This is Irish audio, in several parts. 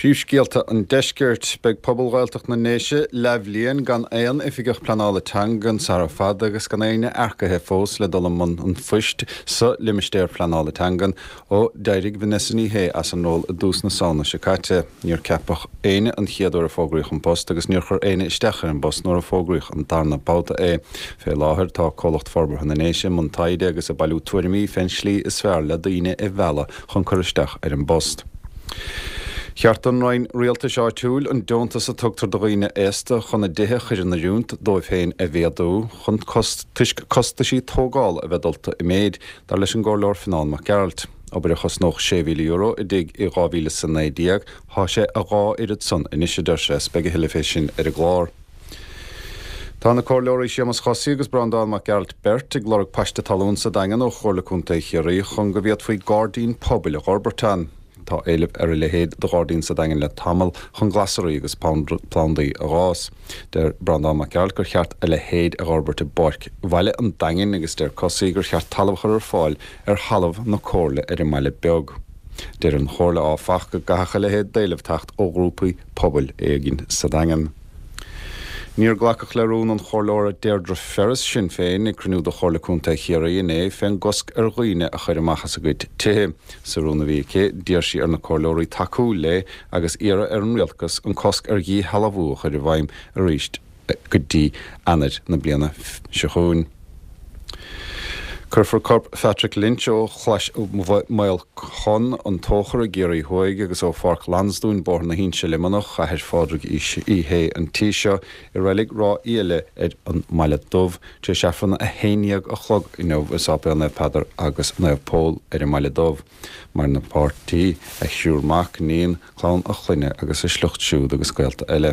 Príomhscéalta an Deiscirt. Beidh pobal Ghaeltacht na nDéise leathbhliain gan aon Oifigeach Pleanála Teangan sara fada agus gan éinne earcaithe fós le dul i mbun an phoist sa Limistéar Pleanála Teangan ó d'éirigh Vanessa Ní Shé as an ról i dtús na Samhna seo caite. Níor ceapadh éinne an chéad uair a fógraíodh an post agus níor chuir éinne isteach ar an bpost nuair a fógraíodh an darna babhta é. Fé láthair tá Comhlacht Forbartha na nDéise i mbun taighde agus ag bailiú tuairimí fén slí is fearr le daoine a mhealladh chun cur isteach ar an bpost. Cheart don Roinn Rialtais Áitiúil an deontas a tugtar do dhaoine aosta chun a dtithe a chur in oiriúint dóibh féin a mhéadú chun toisc costaisí tógála a bheith dulta i méid, dar leis an gComhairleoir Fionán Mac Gearailt. Obair a chosnódh €6,000 i dtigh i 2019, thá sé a dhá oiread san anois, a deir sé, 's beidh a thuilleadh fé sin ar an gclár. Tá na Comhairleoirí Séamus Chosaí agus Breandán Mac Gearailt beirt ag lorg paiste talún sa Daingean ó Chomhairle Contae Chiarraí chun go bhféadfaí gairdín pobail a dh'fhorbairt ann. Tá éileamh ar a leithéid de ghairdín sa Daingean le tamall chun glasraí agus plandaí a dh'fhás. Deir Breandán Mac Gearailt gur cheart a leithéid a dh'fhorbairt i bPáirc Bhaile an Daingin agus deir Cosaí gur cheart talamh a chur ar fáil ar thalamh na Comhairle ar an mBaile Beag. Deir an Chomhairle áfach go gcaithfeadh a leithéid d'éileamh teacht ó ghrúpaí pobail éigin sa Daingean. Níor glacadh le rún an Chomhairleora Deirdre Ferris, Sinn Féin, ag cruinniú de Chomhairle Contae Chiarraí inné fén gcosc ar dhaoine a chur amach as a gcuid tithe. Sa rún a bhí aici, d'iarr sí ar na comhairleoirí tacú léi agus iarraidh ar an rialtas an cosc ar dhíshealbhú a chur i bhfeidhm arís go dtí Eanáir na bliana seo chugainn. Cuirfear corp Phatrick Lynch ó Chlais Mhaol Con, An Tóchar i gCiarraí Thuaidh agus ó Pháirc Lansdúin, Bóthar na hInse, Luimneach, athair Phádraig Uí Shé an tí seo, i Reilig Ráth Íola ar an mBaile Dubh tar éis Aifreann a 11 a chlog inniu i Sáipéal Naomh Peadar agus Naomh Pól ar an mBaile Dubh. Maireann a pháirtí, a thriúr mac, iníon, clann a chlainne agus a sliocht siúd agus gaolta eile,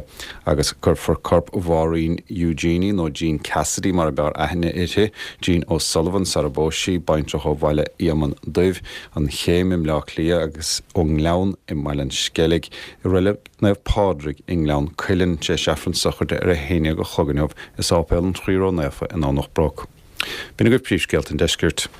agus cuirfear corp Mháirín Eugenie, nó Jean Cassidy mar a b'fhearr aithne uirthi, Jean O'Sullivan sara bpós sí, baintreach ó Bhaile Éamonn Duibh, An Chéim i mBleá Cliath agus ón nGleann i mBaile an Sceilg, i Reilig Naomh Pádraig i nGleann Cuilinn, tar éis Aifreann sochraide ar 11 a chlog inniu i Sáipéal an Chroí Ró-Naofa i nDomhnach Broc. B'in agaibh príomhscéalta an deiscirt.